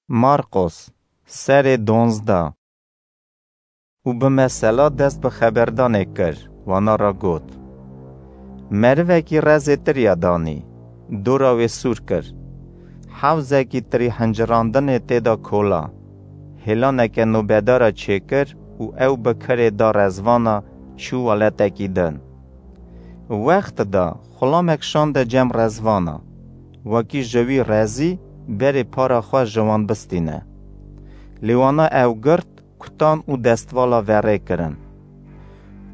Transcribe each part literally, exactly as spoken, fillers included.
Marqos, serê donzdeh. Û bi mesela dest bi xeberdanê kir, wana re got: Merivekî rezê tirya danî, dora wê sûr kir. Hewzekî tirî hincirandinê tê de kola. Hêlaneke nobedara çêkir û ew bi kirê da rezvana çû welatekî din. Wext da xulamek şande cem rezvana, wekî ji wî rezî berê para xwe ji wan bistîne. Lê wana ew girt, kutan û destvala verê kirin.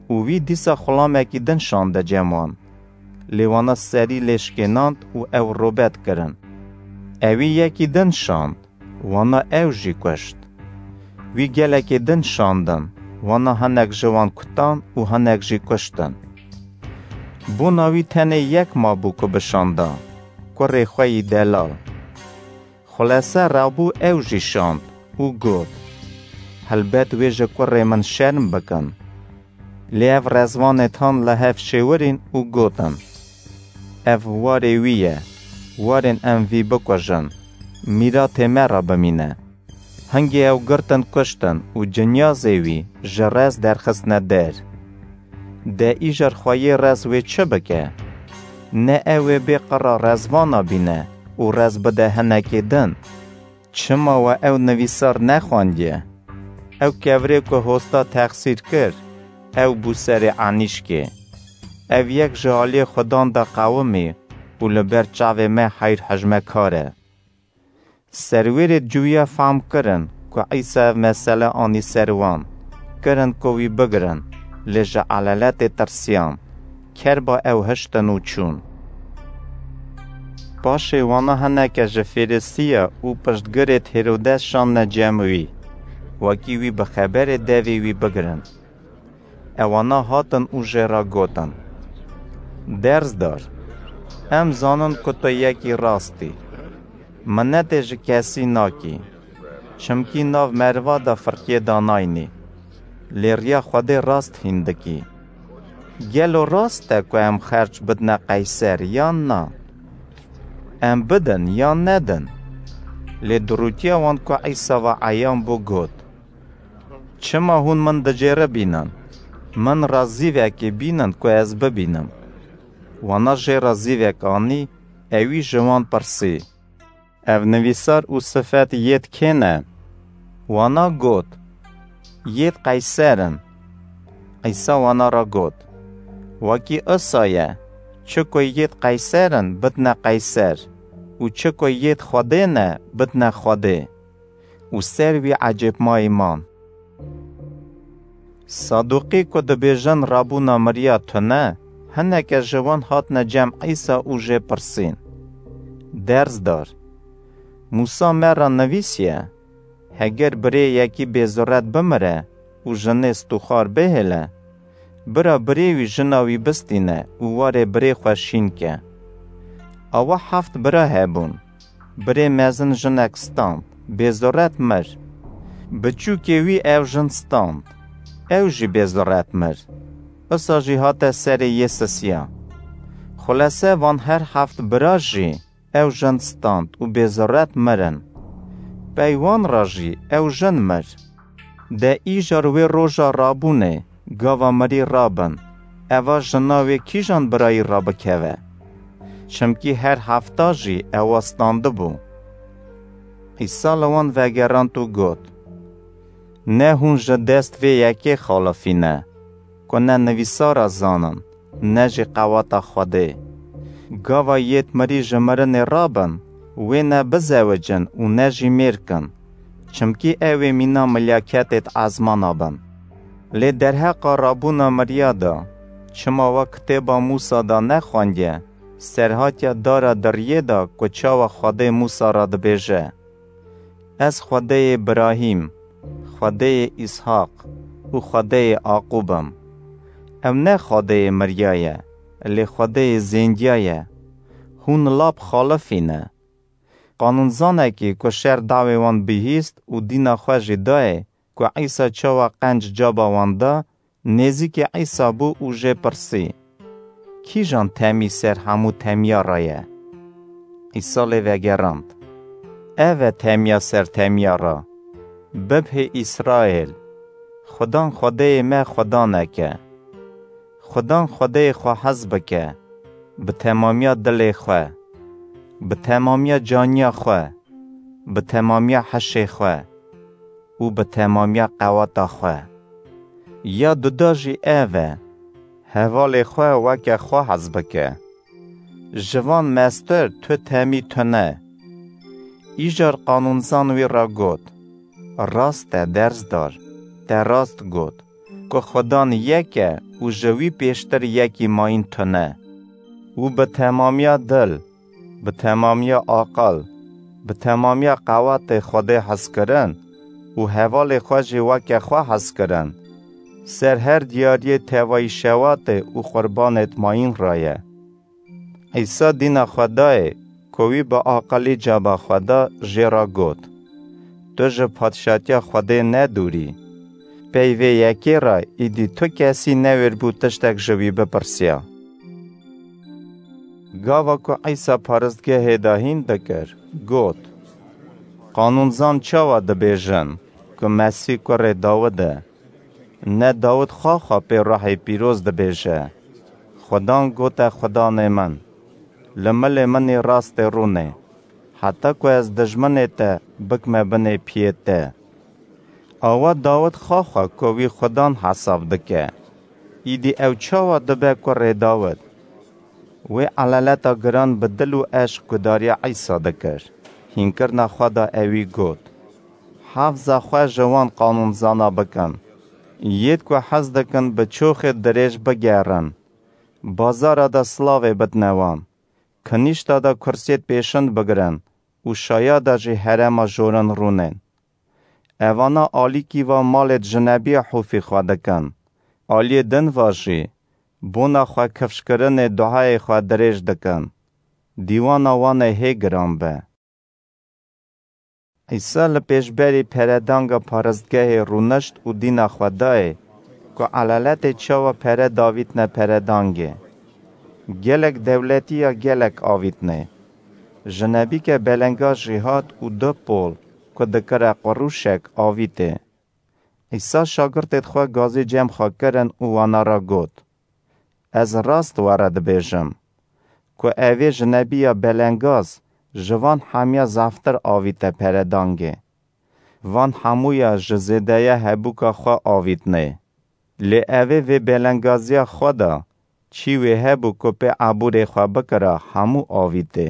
Û wî dîsa xulamekî din şande cem wan. Lê wana serî lê şikênand û ew robet kirin. Ewî yekî din şand, wana ew jî kuşt. Wî gelekê din şandin, wana hinek ji wan kutan û hinek jî kuştin. Bona wî tenê yek mabû ku bişanda, kurê xwe yî delal. Xulese rabû ew jî şand û got: Helbet wê ji kurê min şerm bikin. Lê ev rezvanê tan li hev şêwirîn û gotin: Ev warê wî ye, warên em vî bikujin, mîratê me re bimîne. Hingê ew girtin kuştin û cinyazê wî ji rez derxistine der. De îjar xweyê rez wê çi bike? Ne ew ê bê qira rezvana bîne û rez bide hinekê din? Çima we ew nivîsar nexwendiye? Ew kevirê ku hosta texsîr kir, ew bû serê enîşkê. Ev yek ji aliyê Xudan de qewimî û li ber çavê me heyr hejmekar e. Serwêrê cuwiya fehm kirin ku Îsa ev mesele anî ser wan, kirin ku wî bigirin, lê ji elaletê tirsiyan, kerba ew hiştin û çûn. Paşê wana hineke ji Fêrisiya û piştgirêd Hêrodes şandine cem wî, wekî wî bi xeberê devê wî bigirin. Ewana hatin û jê re gotin: Derzdar, em zanin ku tu yekî rast î. Minetê ji kesî nakî, çimkî nav meriva de firqiyê danaynî, lê riya Xwedê rast hîn dikî. Gelo rast e ku em xerc bidine Qeyser yan na? Em bidin yan nedin? Lê durûtiya wan ku Îsa ve eyan bû got: Çima hûn min dicêribînin? Min re zîvekê bînin ku ez bibînim. Wana jê re zîvek anî, ewî ji wan pirsî: Ev nivîsar û sifet yêd kê ne? Wana got: Yêd Qeyser in. Îsa wana re got: Wekî isa ye, çi ku yêd Qeyser in, bidine Qeyser û çi ku yêd Xwedê ne, bidine Xwedê. Û ser wî ecêbmayî man. Saduqî ku dibêjin rabûna miriya tune, hineke ji wan hatine cem Îsa û jê pirsîn: Derzdar, Mûsa me re nivîsiye, heger birê yekî bêzuret bimire û jinê stûxar bihêle, bira birê wî jina wî bistîne û warê birê xwe şîn ke. Awa heft bira hebûn. Birê mezin jinek stand, bêzuret mir. Biçûkê wî ew jin stand, ew jî bêzuret mir. Isa jî hate serê yê sisiya. Xulese van her heft bira jî ew jin stand û bêzuret mirin. Pey wan re jî ew jin mir. De îjar wê roja rabûnê, gava mirî rabin, eva jina wê kîjan birayî rabikeve? Çimkî her hefta jî ewa standibû. Îsa li wan vegerand û got: Ne hûn ji dest vê yekê xalifîne, ku ne nivîsara zanin, ne jî qeweta Xwedê. Gava yêd mirî ji mirinê rabin, wê ne bizewicin û ne jî mêr kin, çimkî ew ê mîna milyaketêd ezmana bin. Lê derheqa rabûna miriya de, çima we kitêba Mûsa de nexwendiye, serhatiya dara diriyê de ku çawa Xwedê Mûsa re dibêje: Ez Xwedêyê Birahîm, Xwedêyê Îshaq û Xwedêyê Aqûb im. Ew ne Xwedêyê miriya ye, lê Xwedêyê zêndiya ye. Hûn lap xalifî ne. Qanûnzanekî ku şer dawê wan bihîst û dîna xwe jî dayê ku Îsa çawa qenc caba wan da, nêzîkî Îsa bû û jê pirsî: Kîjan temî ser hemû temiya re ye? Îsa lê vegerand: Ev e temiya ser temiya re. Bibhê Îsraêl, Xudan Xwedêyê me Xudanek e. Xudan Xwedêyê xwe hez bike, bi temamiya dilê xwe, bi temamiya caniya xwe, bi temamiya heşê xwe û bi temamiya qeweta xwe. Ya duda jî ev e, hevalê xwe weke xwe hez bike. Ji van mestir tu temî tune. Îcar qanûnzan wî re got, Rast e, derzdar, te rast got, ku Xudan yek e û ji wî pêştir yekî mayîn tune. Û bi temamiya dil, bi temamiya aqil, bi temamiya qewatê Xwedê hezkirin û hevalê xwe jî weke xwe hezkirin, ser her diyariyê tevayî şewatê û qurbanêt mayîn raye. Îsa dîna xwe dayê, ku wî bi aqilî caba xwe da, jê re got, Tu ji padşatiya Xwedê ne dûrî. Pey vê yekê re îdî tu kesî newêrbû tiştek ji wî bipirsiya. Gava ku Îsa paristgehê de hîn dikir, got, Qanûnzan çawa dibêjin ku Mesîh kurê Dawid e? Ne Dawid xwe xwe pê Ruhê Pîroz dibêje, Xudan gote Xudanê min, li milê min î rastê rûnê, heta ku ez dijminê te bikme binê piyê te. Awa Dawid xwe xwe ku wî Xudan hesab dike. Îdî ew çawa dibe kurê Dawid? Wê elaleta giran bi dil û eşq gudariya Îsa dikir. Hînkirina xwe de ewî got, Hefza xwe ji wan qanûnzana bikin. Yêd ku hez dikin bi çoxê dirêj bigerin. Bazara de silavê bidne wan. Kinîşta de kursiyêd pêşind bigirin û şaya de jî herema jorin rûnên. Evana alîkî va malêd jinebiya hûfî xwe dikin. Aliyê din va jî bona xwe kifşkirinê duayê xwe dirêj dikin. Dîwana wan ê hê giran be. Îsa li pêşberî peredanga paristgehê rûnişt û dîna xwe dayê ku elaletê çawa pere davîtne peredangê. Gelek dewletî ya gelek avîtnê. Jinebîke belengaz jî hat û du pol ku dikire qurûşek avîtê. Îsa şagirtêd xwe gazî cem xwe kirin û wana re got, Ez rast we re dibêjim, ku evê jinebiya belengaz ji van hemiya zaftir avîte peredangê. Van hemûya ji zêdeya hebûka xwe avîtnê. Lê evê vê belengaziya xwe de çî wê hebû ku pê ebûrê xwe bikira hemû avîtê.